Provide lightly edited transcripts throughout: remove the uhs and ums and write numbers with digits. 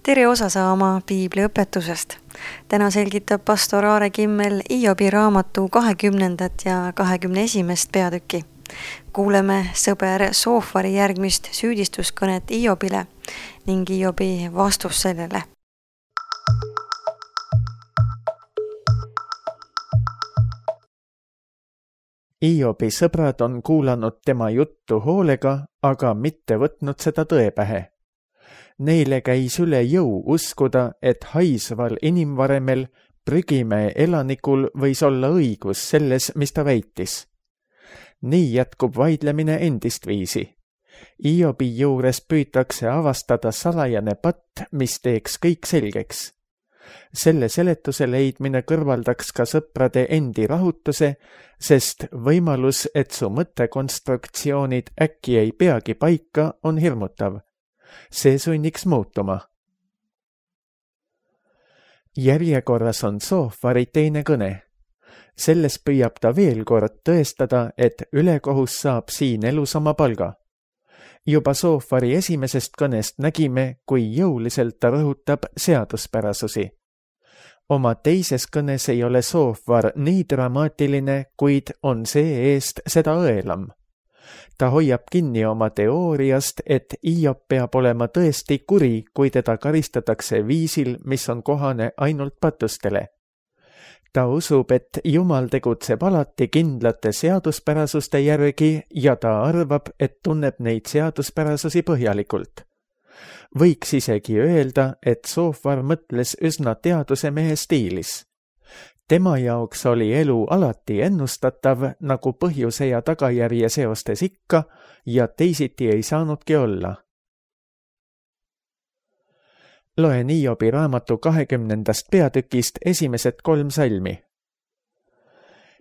Tere osa saama piibliõpetusest. Täna selgitab pastor Aare Kimmel Hiobi raamatu 20. ja 21. peatükki. Kuuleme sõber Soofari järgmist süüdistuskõnet Hiobile ning Hiobi vastus sellele. Hiobi sõbrad on kuulanud tema juttu hoolega, aga mitte võtnud seda tõepähe. Neile käis üle jõu uskuda, et haisval inimvaremel Prügimäe elanikul võis olla õigus selles, mis ta väitis. Nii jätkub vaidlemine endist viisi. Hiobi juures püütakse avastada salajane patt, mis teeks kõik selgeks. Selle seletuse leidmine kõrvaldaks ka sõprade endi rahutuse, sest võimalus, et su mõttekonstruktsioonid äkki ei peagi paika, on hirmutav. See sunniks muutuma. Järjekorras on Soofari teine kõne. Selles püüab ta veel kord tõestada, et ülekohus saab siin elus oma palga. Juba Soofari esimesest kõnest nägime, kui jõuliselt ta rõhutab seaduspärasusi. Oma teises kõnes ei ole Soofar nii dramaatiline, kuid on see eest seda õelam. Ta hoiab kinni oma teooriast, et Hiob peab olema tõesti kuri, kui teda karistatakse viisil, mis on kohane ainult patustele. Ta usub, et Jumal tegutseb alati kindlate seaduspärasuste järgi ja ta arvab, et tunneb neid seaduspärasusi põhjalikult. Võiks isegi öelda, et Soofar mõtles üsna teadusemehe stiilis. Tema jaoks oli elu alati ennustatav, nagu põhjuse ja tagajärje seostes ikka, ja teisiti ei saanudki olla. Loen Hiobi raamatu 20. peatükist esimesed 3 salmi.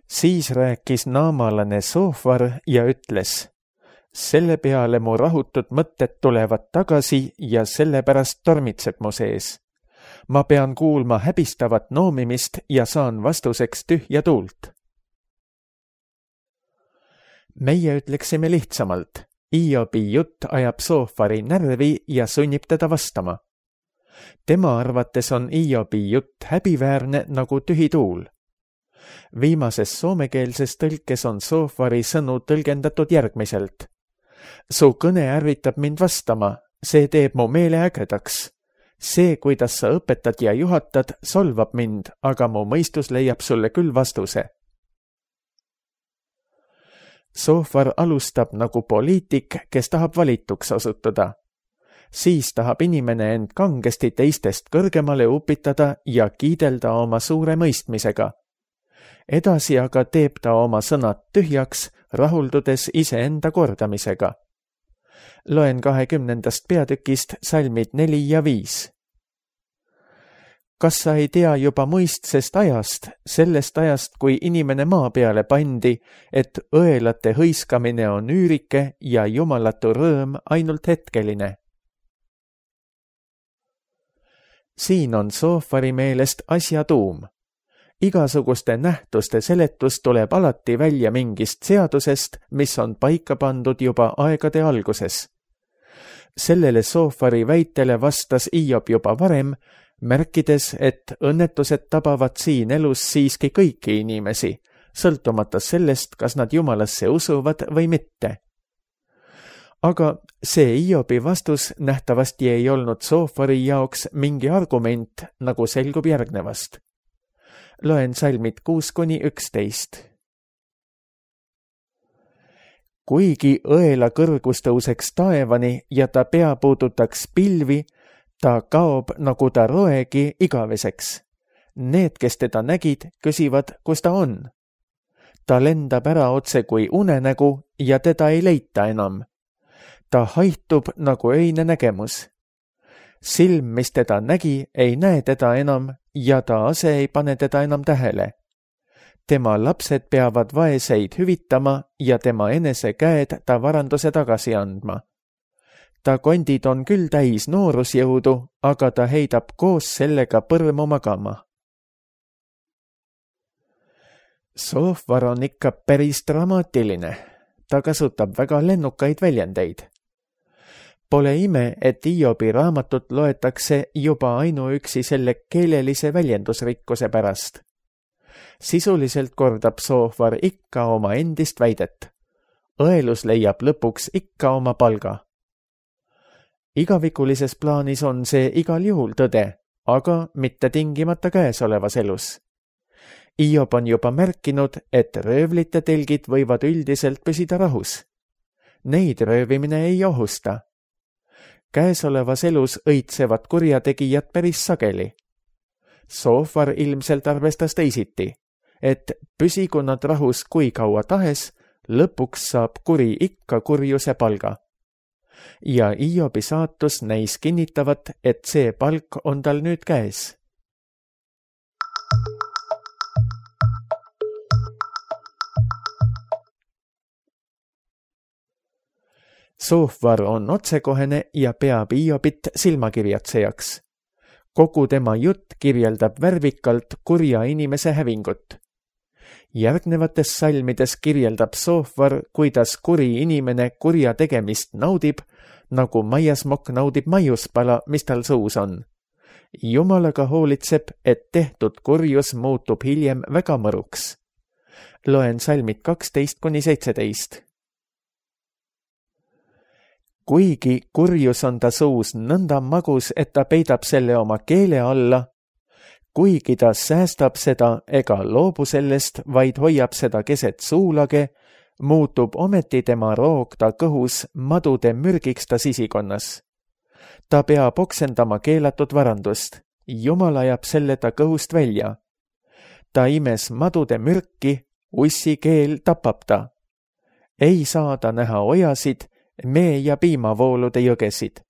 Siis rääkis naamalane Soofar ja ütles: selle peale mu rahutud mõtted tulevad tagasi ja sellepärast tormitseb mu sees. Ma pean kuulma häbistavat noomimist ja saan vastuseks tühja tuult. Meie ütleksime lihtsamalt. Hiobi jutt ajab Soofari närvi ja sunnib teda vastama. Tema arvates on Hiobi jutt häbiväärne nagu tühi tuul. Viimases soomekeelses tõlkes on Soofari sõnu tõlgendatud järgmiselt. Su kõne ärvitab mind vastama, see teeb mu meele ägedaks. See, kuidas sa õpetad ja juhatad, solvab mind, aga mu mõistus leiab sulle küll vastuse. Soofar alustab nagu poliitik, kes tahab valituks osutuda. Siis tahab inimene end kangesti teistest kõrgemale upitada ja kiidelda oma suure mõistmisega. Edasi aga teeb ta oma sõnad tühjaks, rahuldudes iseenda kordamisega. Loen 20. peatükist salmid 4 ja 5. Kas sa ei tea juba muistsest ajast, sellest ajast, kui inimene maa peale pandi, et õelate hõiskamine on üürike ja jumalatu rõõm ainult hetkeline? Siin on Soofari meelest asja tuum. Igasuguste nähtuste seletus tuleb alati välja mingist seadusest, mis on paika pandud juba aegade alguses. Sellele Soofari väitele vastas Hiob juba varem, märkides, et õnnetused tabavad siin elus siiski kõiki inimesi, sõltumata sellest, kas nad Jumalasse usuvad või mitte. Aga see Hiobi vastus nähtavasti ei olnud Soofari jaoks mingi argument, nagu selgub järgnevast. Loen salmid 6-11. Kuigi õela kõrgus tõuseks taevani ja ta pea puudutaks pilvi, ta kaob nagu ta roegi igaveseks. Need, kes teda nägid, küsivad, kus ta on. Ta lendab ära otse kui unenägu ja teda ei leita enam. Ta haihtub nagu öine nägemus. Silm, mis teda nägi, ei näe teda enam ja ta ase ei pane teda enam tähele. Tema lapsed peavad vaeseid hüvitama ja tema enese käed ta varanduse tagasi andma. Ta kondid on küll täis noorusjõudu, aga ta heidab koos sellega põrmu magama. Soofar on ikka päris dramaatiline. Ta kasutab väga lennukaid väljendeid. Pole ime, et Hiobi raamatut loetakse juba ainuüksi selle keelelise väljendusrikkuse pärast. Sisuliselt kordab Soofar ikka oma endist väidet. Õelus leiab lõpuks ikka oma palga. Igavikulises plaanis on see igal juhul tõde, aga mitte tingimata käesolevas elus. Hiob on juba märkinud, et röövlite telgid võivad üldiselt püsida rahus. Neid röövimine ei ohusta. Käesolevas elus õitsevad kurjategijad päris sageli. Soofar ilmselt arvestas teisiti, et püsigu nad rahus kui kaua tahes, lõpuks saab kuri ikka kurjuse palga. Ja Hiobi saatus näis kinnitavat, et see palk on tal nüüd käes. Soofar on otsekohene ja peab Hiobit silmakirjatsejaks. Kogu tema jutt kirjeldab värvikalt kurja inimese hävingut. Järgnevates salmides kirjeldab Soofar, kuidas kuri inimene kurja tegemist naudib, nagu maiasmokk naudib maiuspala, mis tal suus on. Jumalaga hoolitseb, et tehtud kurjus muutub hiljem väga mõruks. Loen salmid 12-17. Kuigi kurjus on ta suus nõnda magus, et ta peidab selle oma keele alla, kuigi ta säästab seda ega loobu sellest, vaid hoiab seda keset suulage, muutub ometi tema roog ta kõhus madude mürgiks ta sisikonnas. Ta peab oksendama keelatud varandust, Jumal ajab selle ta kõhust välja. Ta imes madude mürki, ussi keel tapab ta. Ei saa ta näha ojasid, mee- ja piimavoolude jõgesid.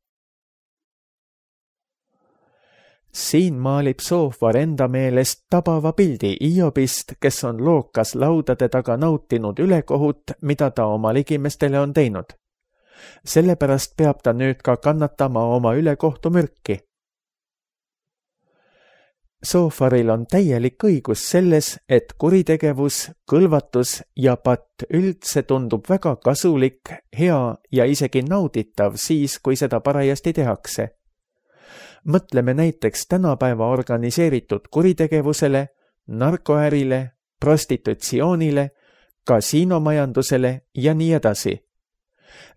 Siin maalib Soofar enda meelest tabava pildi Hiobist, kes on lookas laudade taga nautinud ülekohut, mida ta oma ligimestele on teinud. Sellepärast peab ta nüüd ka kannatama oma ülekohtu mürki. Soofaril on täielik õigus selles, et kuritegevus, kõlvatus ja patt üldse tundub väga kasulik, hea ja isegi nauditav siis, kui seda parajasti tehakse. Mõtleme näiteks tänapäeva organiseeritud kuritegevusele, narkoärile, prostitutsioonile, kasiinomajandusele ja nii edasi.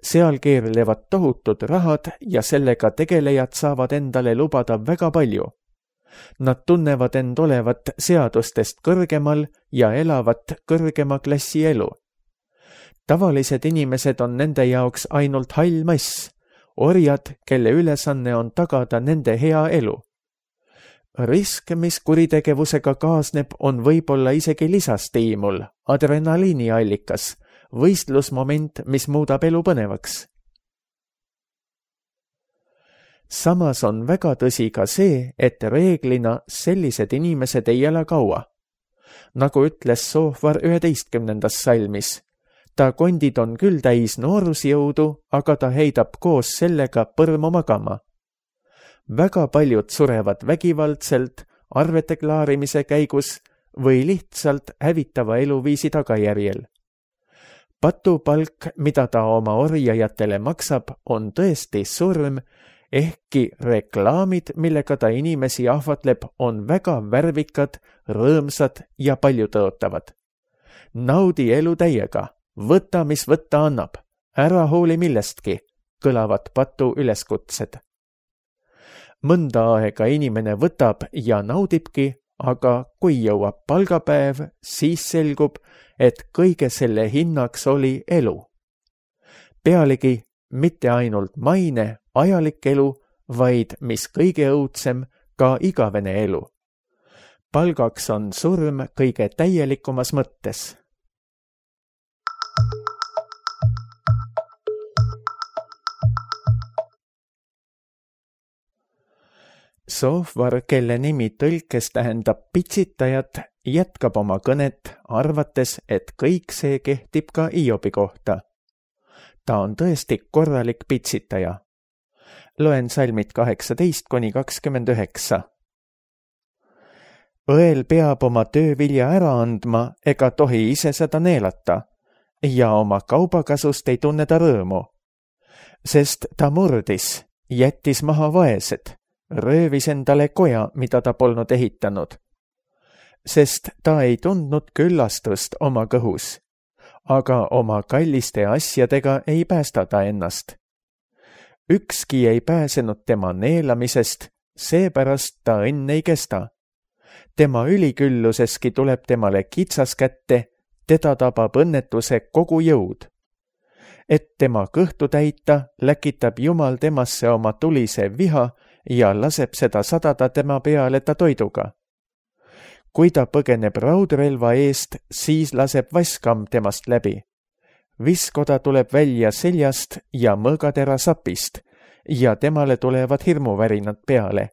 Seal keerlevad tohutud rahad ja sellega tegelejad saavad endale lubada väga palju. Nad tunnevad end olevat seadustest kõrgemal ja elavat kõrgema klassi elu. Tavalised inimesed on nende jaoks ainult hall mass, orjad, kelle ülesanne on tagada nende hea elu. Risk, mis kuritegevusega kaasneb, on võib-olla isegi lisastiimul, adrenaliiniallikas, võistlusmoment, mis muudab elu põnevaks. Samas on väga tõsi ka see, et reeglina sellised inimesed ei ela kaua. Nagu ütles Soofar 11. salmis, ta kondid on küll täis noorusjõudu, aga ta heidab koos sellega põrmu magama. Väga paljud surevad vägivaldselt, arvete klaarimise käigus või lihtsalt hävitava eluviisi tagajärjel. Patupalk, mida ta oma orjajatele maksab, on tõesti surm, ehkki reklaamid, millega ta inimesi ahvatleb, on väga värvikad, rõõmsad ja paljutõotavad. Naudi elu täiega, võta, mis võtta annab, ära hooli millestki, kõlavad patu üleskutsed. Mõnda aega inimene võtab ja naudibki, aga kui jõuab palgapäev, siis selgub, et kõige selle hinnaks oli elu. Pealegi mitte ainult maine, ajalik elu, vaid mis kõige õudsem, ka igavene elu. Palgaks on surm kõige täielikumas mõttes. Soofar, kelle nimi tõlkes tähendab pitsitajat, jätkab oma kõnet, arvates, et kõik see kehtib ka Hiobi kohta. Ta on tõesti korralik pitsitaja. Loen salmid 18-29. Õel peab oma töövilja ära andma ega tohi ise seda neelata ja oma kaubakasust ei tunne ta rõõmu. sest ta murdis, jättis maha vaesed, röövis endale koja, mida ta polnud ehitanud. Sest ta ei tundnud küllastust oma kõhus, aga oma kalliste asjadega ei päästa ta ennast. Ükski ei pääsenud tema neelamisest, seepärast ta õnn ei kesta. Tema ülikülluseski tuleb temale kitsas kätte, teda tabab õnnetuse kogu jõud. Et tema kõhtu täita, läkitab Jumal temasse oma tulise viha ja laseb seda sadada tema peale ta toiduga. Kui ta põgeneb raudrelva eest, siis laseb vaskam temast läbi. Viskoda tuleb välja seljast ja mõõgatera sapist ja temale tulevad hirmuvärinad peale.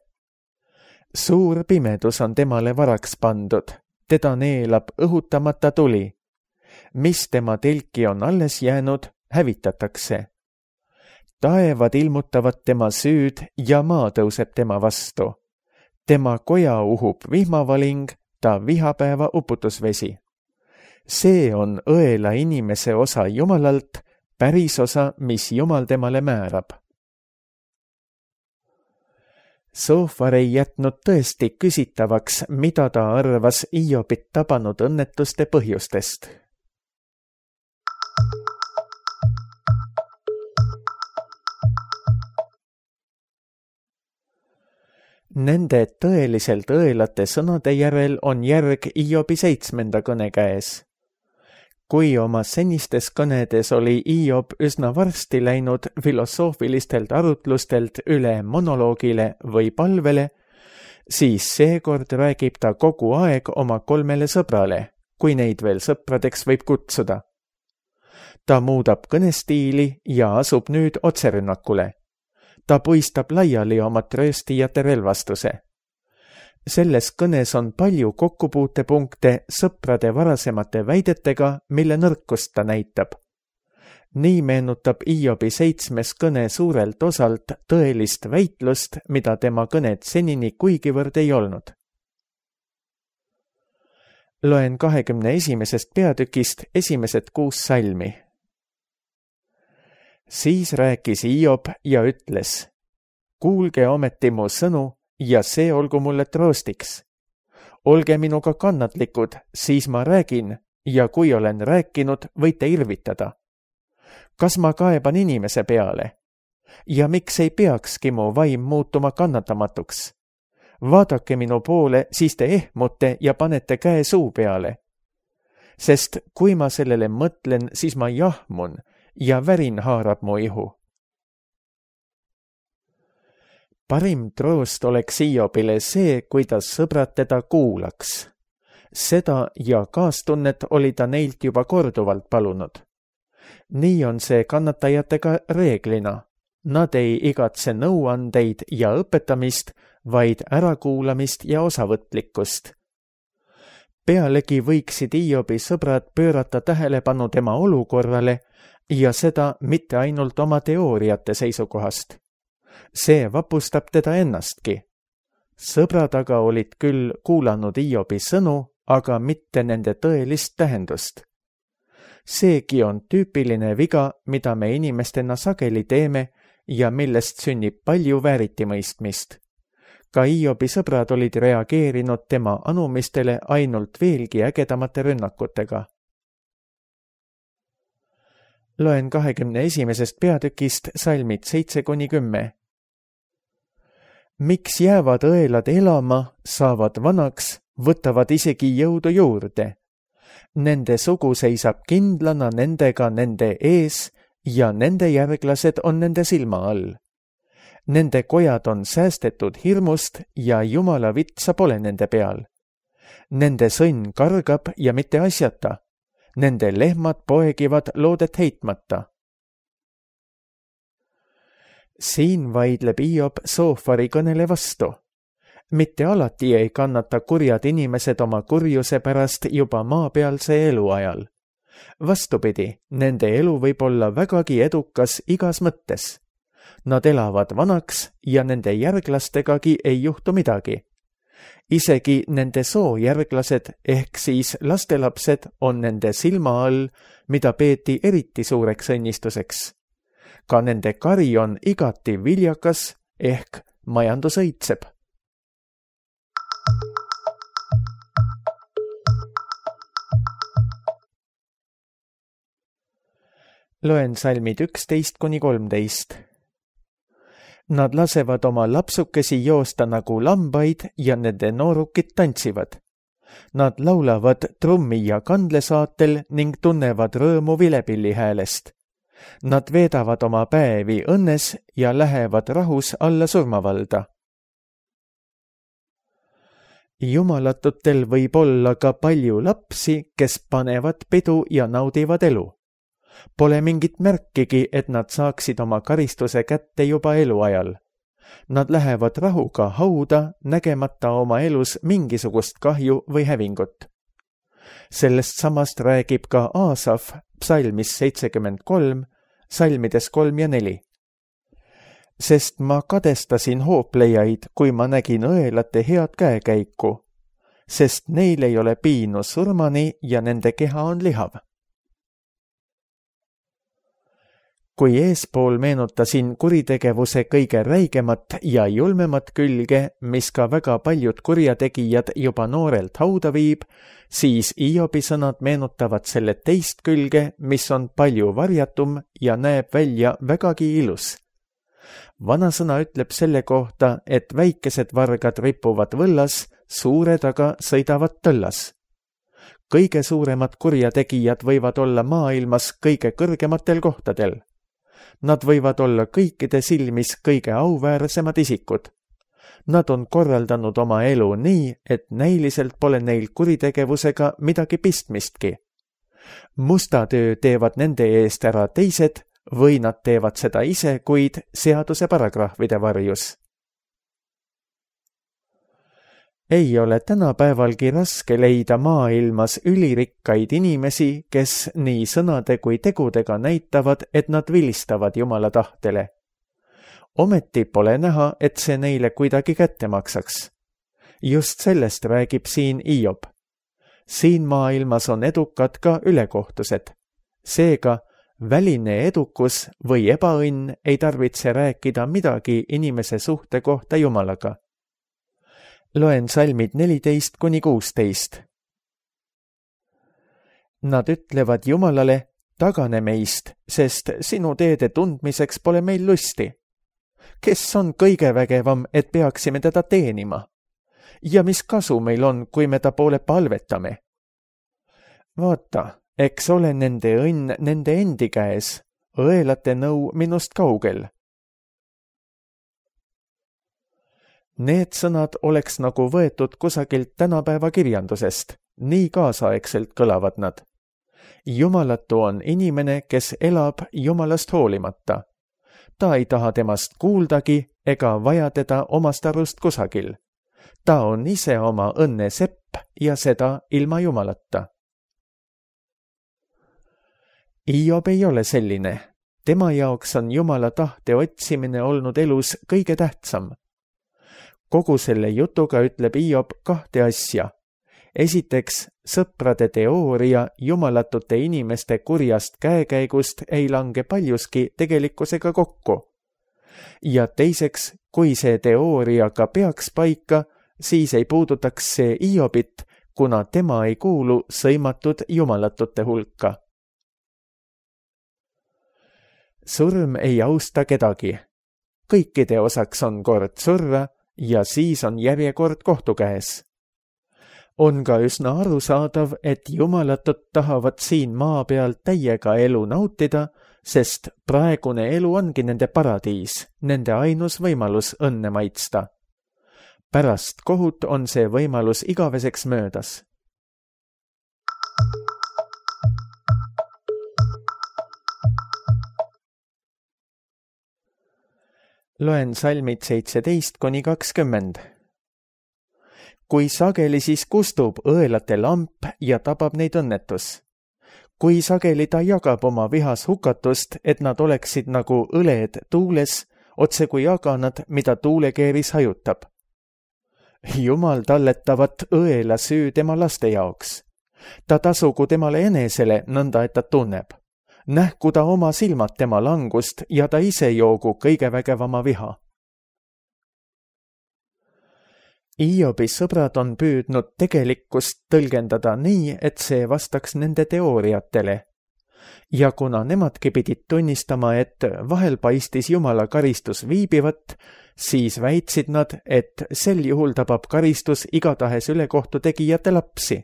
Suur pimedus on temale varaks pandud, teda neelab õhutamata tuli. Mis tema telki on alles jäänud, hävitatakse. Taevad ilmutavad tema süüd ja maa tõuseb tema vastu. Tema koja uhub vihmavaling, ta vihapäeva uputusvesi. See on õela inimese osa Jumalalt, päris osa, mis Jumal temale määrab. Soofar ei jätnud tõesti küsitavaks, mida ta arvas Hiobit tabanud õnnetuste põhjustest. Nende tõeliselt õelate sõnade järel on järg Hiobi 7. kõne käes. Kui oma senistes kõnedes oli Hiob üsna varsti läinud filosoofilistelt arutlustelt üle monoloogile või palvele, siis seekord räägib ta kogu aeg oma 3 sõbrale, kui neid veel sõpradeks võib kutsuda. Ta muudab kõnestiili ja asub nüüd otserünnakule. Ta puistab laiali oma trööstijate relvastuse. Selles kõnes on palju kokkupuutepunkte sõprade varasemate väidetega, mille nõrkust ta näitab. Nii meenutab Hiobi 7. kõne suurelt osalt tõelist väitlust, mida tema kõned senini kuigivõrd ei olnud. Loen 21. peatükist esimesed 6 salmi. Siis rääkis Hiob ja ütles: kuulge ometi mu sõnu ja see olgu mulle troostiks. Olge minuga kannatlikud, siis ma räägin ja kui olen rääkinud, võite irvitada. Kas ma kaeban inimese peale? Ja miks ei peakski mu vaim muutuma kannatamatuks? Vaadake minu poole, siis te ehmute ja panete käe suu peale. Sest kui ma sellele mõtlen, siis ma jahmun ja värin haarab mu ihu. Parim troost oleks Hiobile see, kui ta sõbrad teda kuulaks. Seda ja kaastunnet oli ta neilt juba korduvalt palunud. Nii on see kannatajatega reeglina. Nad ei igatse nõuandeid ja õpetamist, vaid ärakuulamist ja osavõtlikkust. Pealegi võiksid Hiobi sõbrad pöörata tähelepanu tema olukorrale ja seda mitte ainult oma teooriate seisukohast. See vapustab teda ennastki. Sõbrad aga olid küll kuulanud Hiobi sõnu, aga mitte nende tõelist tähendust. Seegi on tüüpiline viga, mida me inimestena sageli teeme ja millest sünnib palju vääritimõistmist. Ka Hiobi sõbrad olid reageerinud tema anumistele ainult veelgi ägedamate rünnakutega. Loen 21. peatükist salmid 7-10. Miks jäävad õelad elama, saavad vanaks, võtavad isegi jõudu juurde. Nende sugu seisab kindlana nendega nende ees ja nende järglased on nende silma all. Nende kojad on säästetud hirmust ja Jumala vitsa pole nende peal. Nende sõnn kargab ja mitte asjata. Nende lehmad poegivad loodet heitmata. Siin vaidleb Hiob Soofari kõnele vastu. Mitte alati ei kannata kurjad inimesed oma kurjuse pärast juba maapealse eluajal. Vastupidi, nende elu võib olla vägagi edukas igas mõttes. Nad elavad vanaks ja nende järglastegagi ei juhtu midagi. Isegi nende soojärglased ehk siis lastelapsed on nende silma all, mida peeti eriti suureks õnnistuseks. ka nende kari on igati viljakas ehk majandus õitseb. Loen salmid 11-13. Nad lasevad oma lapsukesi joosta nagu lambaid ja nende noorukid tantsivad. Nad laulavad trummi ja kandlesaatel ning tunnevad rõõmu vilepilli häälest. Nad veedavad oma päevi õnnes ja lähevad rahus alla surmavalda. Jumalatutel võib olla ka palju lapsi, kes panevad pidu ja naudivad elu. Pole mingit märkigi, et nad saaksid oma karistuse kätte juba eluajal. Nad lähevad rahuga hauda, nägemata oma elus mingisugust kahju või hävingut. Sellest samast räägib ka Aasaf psalmis 73, salmides 3 ja 4. Sest ma kadestasin hooplejaid, kui ma nägin õelate head käekäiku, sest neil ei ole piinu surmani ja nende keha on lihav. Kui eespool meenutasin kuritegevuse kõige räigemat ja julmemat külge, mis ka väga paljud kurjategijad juba noorelt hauda viib, siis Iobi sõnad meenutavad selle teist külge, mis on palju varjatum ja näeb välja vägagi ilus. Vanasõna ütleb selle kohta, et väikesed vargad ripuvad võllas, suured aga sõidavad tõllas. Kõige suuremad kurjategijad võivad olla maailmas kõige kõrgematel kohtadel. Nad võivad olla kõikide silmis kõige auväärsemad isikud. Nad on korraldanud oma elu nii, et näiliselt pole neil kuritegevusega midagi pistmistki. Musta töö teevad nende eest ära teised või nad teevad seda ise, kuid seaduse paragrahvide varjus. Ei ole tänapäevalgi raske leida maailmas ülirikkaid inimesi, kes nii sõnade kui tegudega näitavad, et nad vilistavad Jumala tahtele. Ometi pole näha, et see neile kuidagi kätte maksaks. Just sellest räägib siin Iob. Siin maailmas on edukad ka ülekohtused. Seega, väline edukus või ebaõnn ei tarvitse rääkida midagi inimese suhte kohta Jumalaga. Loen salmid 14-16. Nad ütlevad Jumalale, tagane meist, sest sinu teede tundmiseks pole meil lusti. Kes on kõige vägevam, et peaksime teda teenima? Ja mis kasu meil on, kui me ta poole palvetame? Vaata, eks ole nende õnn nende endi käes, õelate nõu minust kaugel. Need sõnad oleks nagu võetud kusagilt tänapäeva kirjandusest, nii kaasaegselt kõlavad nad. Jumalatu on inimene, kes elab Jumalast hoolimata. Ta ei taha temast kuuldagi ega vaja teda omast arust kusagil. Ta on ise oma õnne sepp ja seda ilma Jumalata. Iob ei ole selline. Tema jaoks on Jumala tahte otsimine olnud elus kõige tähtsam. Kogu selle jutuga ütleb Iob 2 asja. Esiteks, sõprade teooria jumalatute inimeste kurjast käekäigust ei lange paljuski tegelikkusega kokku. Ja teiseks, kui see teooria ka peaks paika, siis ei puudutaks see Iobit, kuna tema ei kuulu sõimatud jumalatute hulka. Surm ei austa kedagi. Kõikide osaks on kord surra, ja siis on järjekord kohtu käes. On ka üsna arusaadav, et jumalatud tahavad siin maa peal täiega elu nautida, sest praegune elu ongi nende paradiis, nende ainus võimalus õnne maitsta. Pärast kohut on see võimalus igaveseks möödas. Loen salmid 17-20. Kui sageli siis kustub õelate lamp ja tabab neid õnnetus. Kui sageli ta jagab oma vihas hukatust, et nad oleksid nagu õled tuules, otse kui aganad, mida tuulekeeris hajutab. Jumal talletavat õela süü tema laste jaoks. Ta tasugu temale enesele nõnda, et ta tunneb. Nähku ta oma silmad tema langust ja ta ise joogu kõige vägevama viha. Hiobi sõbrad on püüdnud tegelikkust tõlgendada nii, et see vastaks nende teooriatele. Ja kuna nemadki pidid tunnistama, et vahel paistis Jumala karistus viibivat, siis väitsid nad, et sel juhul tabab karistus igatahes ülekohtu tegijate lapsi.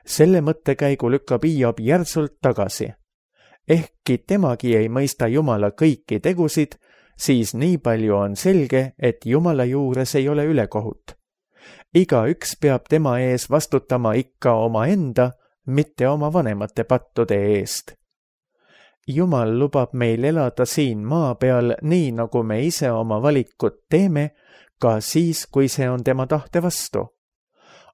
Selle mõttekäigu lükkab Hiob järsult tagasi. Ehkki temagi ei mõista Jumala kõiki tegusid, siis nii palju on selge, et Jumala juures ei ole ülekohut. Igaüks peab tema ees vastutama ikka omaenda, mitte oma vanemate pattude eest. Jumal lubab meil elada siin maa peal nii, nagu me ise oma valikud teeme, ka siis, kui see on tema tahte vastu.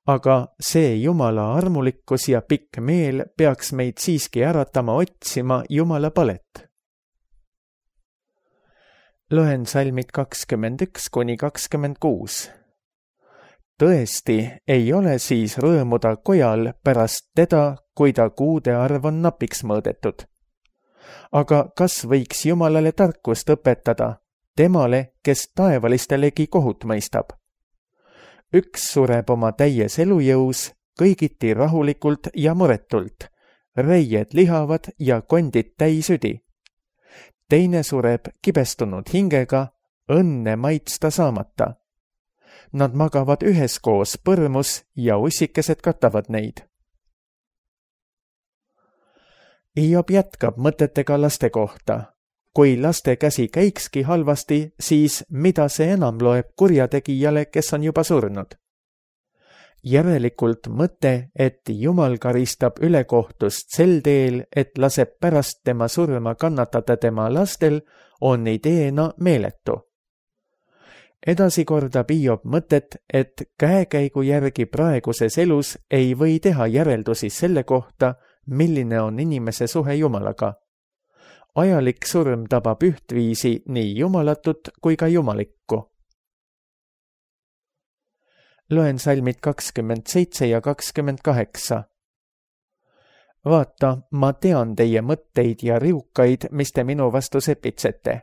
Aga see Jumala armulikkus ja pikk meel peaks meid siiski äratama otsima Jumala palet. Loen salmid 21–26. Tõesti, ei ole siis rõõmuda kojal pärast teda, kui ta kuude arv on napiks mõõdetud. Aga kas võiks Jumalale tarkust õpetada, temale, kes taevalistele kohut mõistab? Üks sureb oma täies elujõus, kõigiti rahulikult ja muretult, reied lihavad ja kondid täisüdi. Teine sureb kibestunud hingega, õnne maitsta saamata. Nad magavad üheskoos põrmus ja ussikesed katavad neid. Hiob jätkab mõtetega laste kohta. Kui laste käsi käikski halvasti, siis mida see enam loeb kurjategijale, kes on juba surnud? Järelikult mõte, et Jumal karistab ülekohtust sel teel, et laseb pärast tema surma kannatada tema lastel, on ideena meeletu. Edasi kordab Hiob mõtet, et käekäigu järgi praeguses elus ei või teha järeldusi selle kohta, milline on inimese suhe Jumalaga. Ajalik surm tabab ühtviisi nii jumalatut kui ka jumalikku. Loen salmid 27 ja 28. Vaata, ma tean teie mõtteid ja riukaid, mis te minu vastu sepitsete.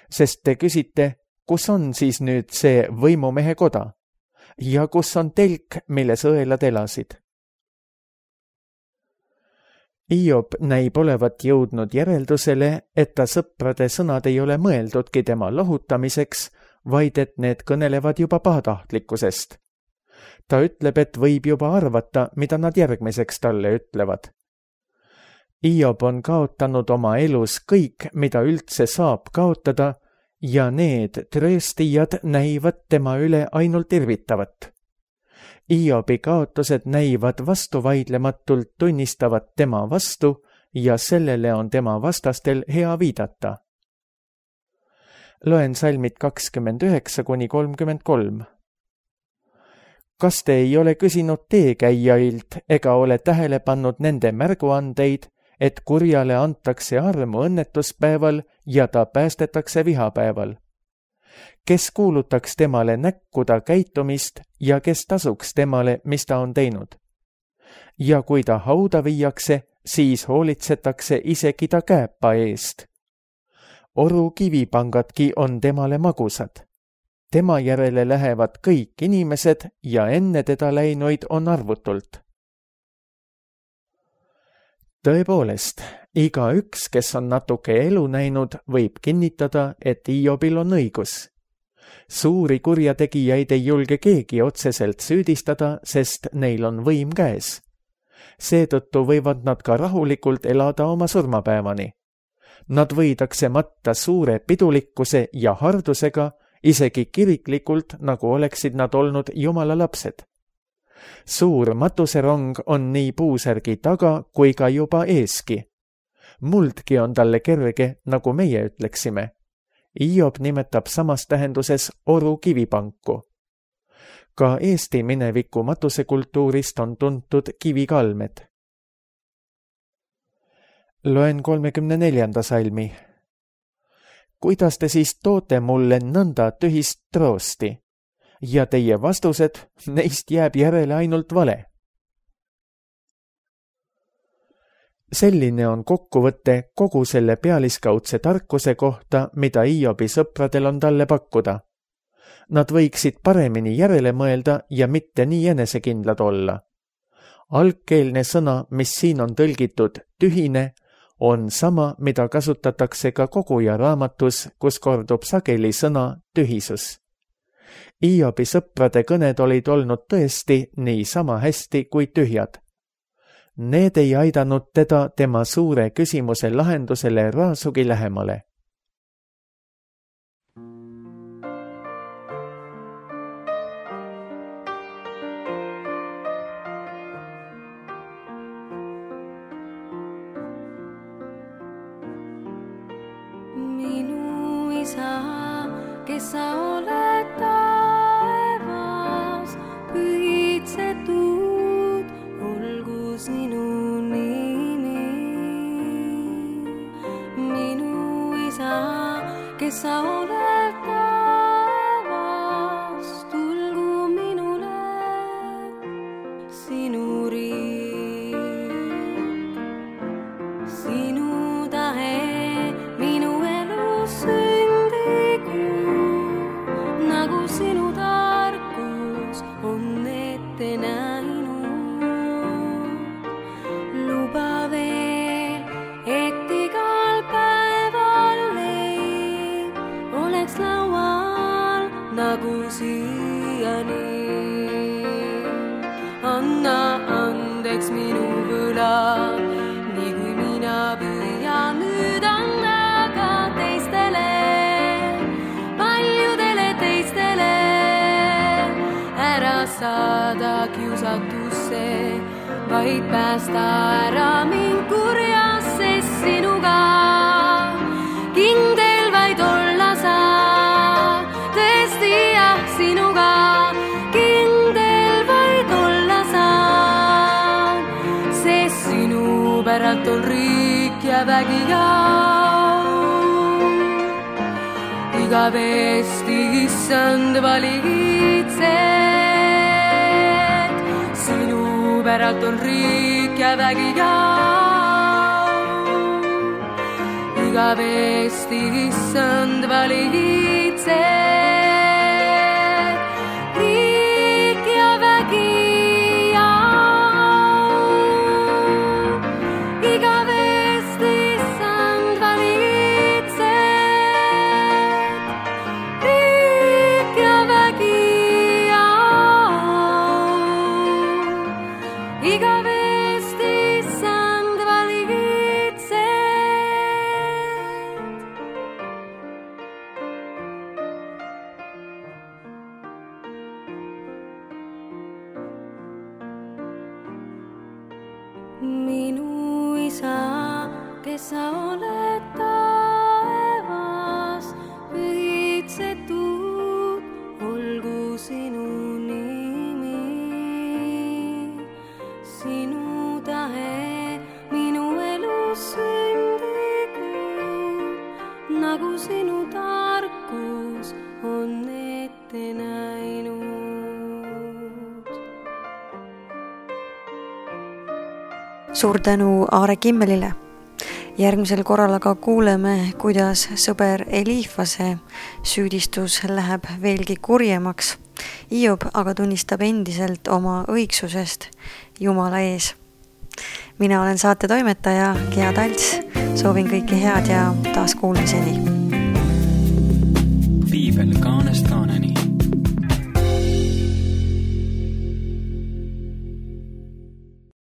Sest te küsite, kus on siis nüüd see võimumehe koda? Ja kus on telk, milles õelad elasid? Hiob näib olevat jõudnud järeldusele, et ta sõprade sõnad ei ole mõeldudki tema lohutamiseks, vaid et need kõnelevad juba pahatahtlikkusest. Ta ütleb, et võib juba arvata, mida nad järgmiseks talle ütlevad. Hiob on kaotanud oma elus kõik, mida üldse saab kaotada, ja need trööstijad näivad tema üle ainult irvitavat. Hiobi kaotused näivad vastuvaidlematult tunnistavat tema vastu ja sellele on tema vastastel hea viidata. Loen salmid 29–33. Kas te ei ole küsinud teekäijailt ega ole tähele pannud nende märguandeid, et kurjale antakse armu õnnetuspäeval ja ta päästetakse vihapäeval? Kes kuulutaks temale näkkuda käitumist ja kes tasuks temale, mis ta on teinud? Ja kui ta hauda viiakse, siis hoolitsetakse isegi ta kääpa eest. Oru kivipangadki on temale magusad. Tema järele lähevad kõik inimesed ja enne teda läinuid on arvutult. Tõepoolest, igaüks, kes on natuke elu näinud, võib kinnitada, et Hiobil on õigus. Suuri kurjategijaid ei julge keegi otseselt süüdistada, sest neil on võim käes. Seetõttu võivad nad ka rahulikult elada oma surmapäevani. Nad võidakse matta suure pidulikkuse ja hardusega, isegi kiriklikult, nagu oleksid nad olnud Jumala lapsed. Suur matuserong on nii puusärgi taga kui ka juba eeski. Muldki on talle kerge, nagu meie ütleksime. Hiob nimetab samas tähenduses oru kivipanku. Ka Eesti mineviku matusekultuurist on tuntud kivikalmed. Loen 34. salmi. Kuidas te siis toote mulle nõnda tühist troosti? Ja teie vastused, neist jääb järele ainult vale. Selline on kokkuvõte kogu selle pealiskaudse tarkuse kohta, mida Hiobi sõpradel on talle pakkuda. Nad võiksid paremini järele mõelda ja mitte nii enesekindlad olla. Algkeelne sõna, mis siin on tõlgitud tühine, on sama, mida kasutatakse ka koguja raamatus, kus kordub sageli sõna tühisus. Hiobi sõprade kõned olid olnud tõesti nii sama hästi kui tühjad. Need ei aidanud teda tema suure küsimuse lahendusele raasugi lähemale. Minu isa, kes sa oled taevas, pühitsetud olgu sinu nimi. Minu isa, kes sa oled taevas, tulgu minule sinu riik. Sinu tahe minu elus sündigu, nagu sinu tarkus on ette näinud. Luba veel, et igal päeval leib oleks laual nagu siiani. Anna andeks minu võlad, nii kui mina püüan nüüd anda ka teistele, paljudele teistele. Ära saada kiusatusse, vaid päästa ära mind kurjast, sest sinuga kindel vaid olla saab. Tõesti jah, sinuga kindel vaid olla saab, sest sinu päralt on riik ja vägi ja igavesti issand valitsed. Sinu päralt on riik ja vägi ja igavesti issand valitsed. Riik ja vägi ja igavesti issand valitsed. Riik ja vägi ja igavesti issand valitsed. Minu isa, kes sa oled taevas, pühitsetud olgu sinu nimi. Sinu tahe minu elus sündigu, nagu sinu tarkus on ette näinud. Suur tänu Aare Kimmelile. Järgmisel korral aga kuuleme, kuidas sõber Elifase süüdistus läheb veelgi kurjemaks. Hiob aga tunnistab endiselt oma õigsusest Jumala ees. Mina olen saate toimetaja Gea Talts. Soovin kõike head ja taas kuulmiseni.